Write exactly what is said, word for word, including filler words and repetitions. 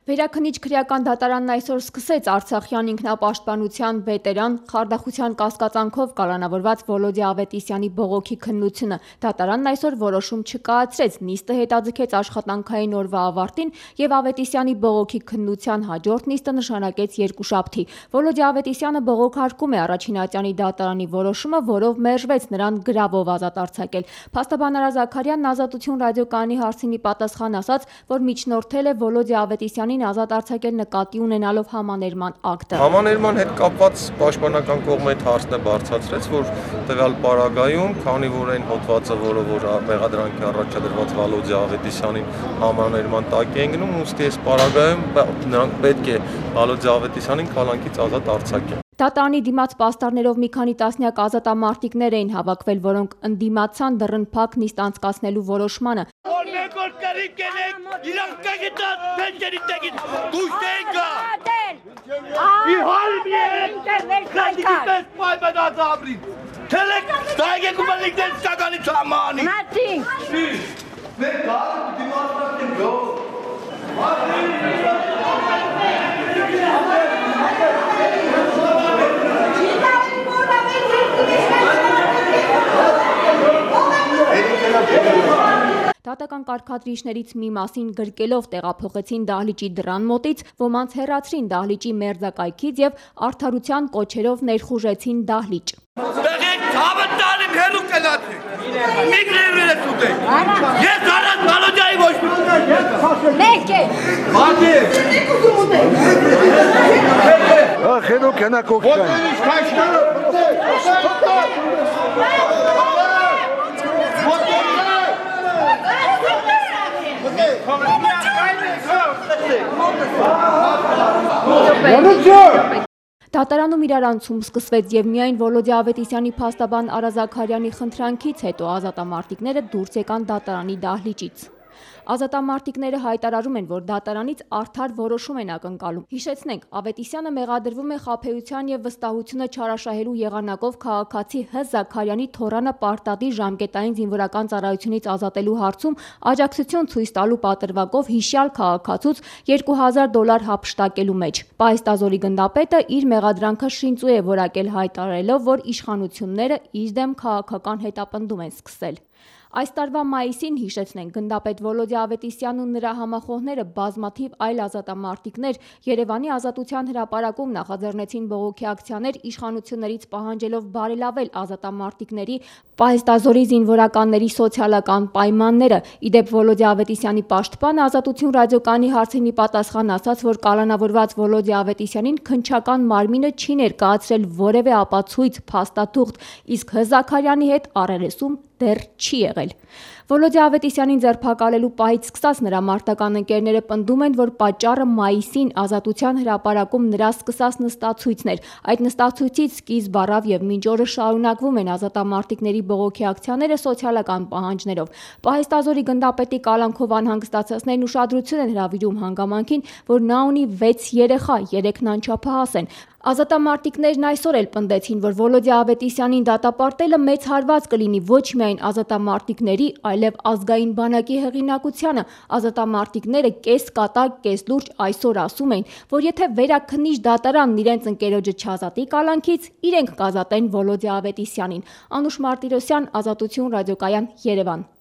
Վերաքննիչ քրեական դատարանն այսօր սկսեց Արցախյան ինքնապաշտպանության վետերան, խարդախության կասկածանքով կալանավորված Վոլոդիա Ավետիսյանի բողոքի քննությունը։ Դատարանն այսօր որոշում չկայացրեց, նիստը հետաձգեց աշխատանքային օրվա ավարտին եւ Ավետիսյանի բողոքի քննության հաջորդ նիստը նշանակեց երկուշաբթի։ Վոլոդիա Ավետիսյանը բողոքարկում է Առաջինատյանի դատարանի որոշումը, որով մերժվեց նրան գրավով ազատ արձակել։ Փաստաբան Արա Զաքարյանն Ազատություն ռադիոկայանի հարցին ի պատասխան ասաց, որ միջնորդել է Վոլոդիա Ավետիսյանին ազատ արձակել նկատի ունենալով համաներման ակտը։ Համաներման հետ կապված պաշտպանական կողմը այդ հարցն է բարձրացրեց, որ տվյալ պարագայում, քանի որ այն հոդվածը, որը որ մեղադրանքի առաջադրված Վոլոդիա Ավետիսյանին համաներման տակ է ընկնում, ուստի այս պարագայում նրանք պետք է Վոլոդիա Ավետիսյանին կալանքից ազատ արձակեն։ Դատարանի դիմաց պաստառներով մի քանի տասնյակ ազատամարտիկներ էին հավաքվել, որոնք ընդդիմացան դռնփակ նիստ անցկացնելու որոշմանը։ Դատական կարգադրիչներից մի մասին գրկելով տեղափոխեցին դահլիճի դռան մոտից, ոմանց հեռացրին դահլիճի մերձակայքից եւ արդարության կոչերով ներխուժեցին դահլիճ։ Դատարանում իրարանցում սկսվեց եւ միայն Վոլոդիա Ավետիսյանի փաստաբան Արա Զաքարյանի խնդրանքից հետո ազատամարտիկները դուրս եկան դատարանի դահլիճից։ Ազատամարտիկները հայտարարում են, որ դատարանից արդար որոշում են ակնկալում։ Հիշեցնենք, Ավետիսյանը մեղադրվում է խաբեության եւ վստահությունը չարաշահելու եղանակով քաղաքացի Հ. Զաքարյանի թոռանը պարտադիր ժամկետային զինվորական ծառայությունից ազատելու հարցում աջակցություն ցույց տալու պատրվակով հիշյալ քաղաքացուց երկու հազար դոլար հափշտակելու մեջ։ Պահեստազորի գնդապետը իր մեղադրանքը շինծու է որակել, հայտարարելով, որ իշխանությունները իր դեմ քաղաքական հետապնդում են սկսել։ Այս տարվա մայիսին, հիշեցնենք, գնդապետ Վոլոդիա Ավետիսյանն ու նրա համախոհները բազմաթիվ այլ ազատամարտիկներ Երևանի Ազատության հրապարակում նախաձեռնեցին բողոքի ակցիաներ իշխանություններից պահանջելով բարելավել ազատամարտիկների պահեստազորի զինվորականների սոցիալական պայմանները։ Իդեպ Վոլոդիա Ավետիսյանի պաշտպանը Ազատություն ռադիոկայանի հարցին ի պատասխան ասաց, որ կալանավորված Վոլոդիա Ավետիսյանին քննչական մարմինը չի ներկայացրել որևէ ապացույց, փաստաթուղթ, իսկ Հ. Զաքարյանի հետ առերեսում դեռ չի եղել։ Վոլոդիա Ավետիսյանին ձերբակալելու պահից սկսած նրա մարտական ընկերները պնդում են, որ պատճառը մայիսին Ազատության հրապարակում նրա սկսած նստացույցն էր։ Այդ նստացույցից սկիզբ առավ եւ մինչ օրը շարունակվում են ազատամարտիկների բողոքի ակցիաները սոցիալական պահանջներով։ Պահեստազորի գնդապետի կալանքով անհանգստացածներն ուշադրություն են հրավիրում հանգամանքին, որ նա ունի վեց երեխա, երեքն անչափահաս են։ Ազատամարտիկներն այսօր էլ պնդեցին, որ Վոլոդիա Ավետիսյանին դատապարտելը մեծ հարված կլինի ոչ միայն ազատամարտիկների, այլև ազգային բանակի հեղինակությանը։ Ազատամարտիկները կես կատակ, կես լուրջ այսօր ասում են, որ եթե վերաքննիչ դատարանն իրենց ընկերոջը չազատի կալանքից, իրենք կազատեն Վոլոդիա Ավետիսյանին։ Անուշ Մարտիրոսյան, Ազատություն ռադիոկայան, Երևան։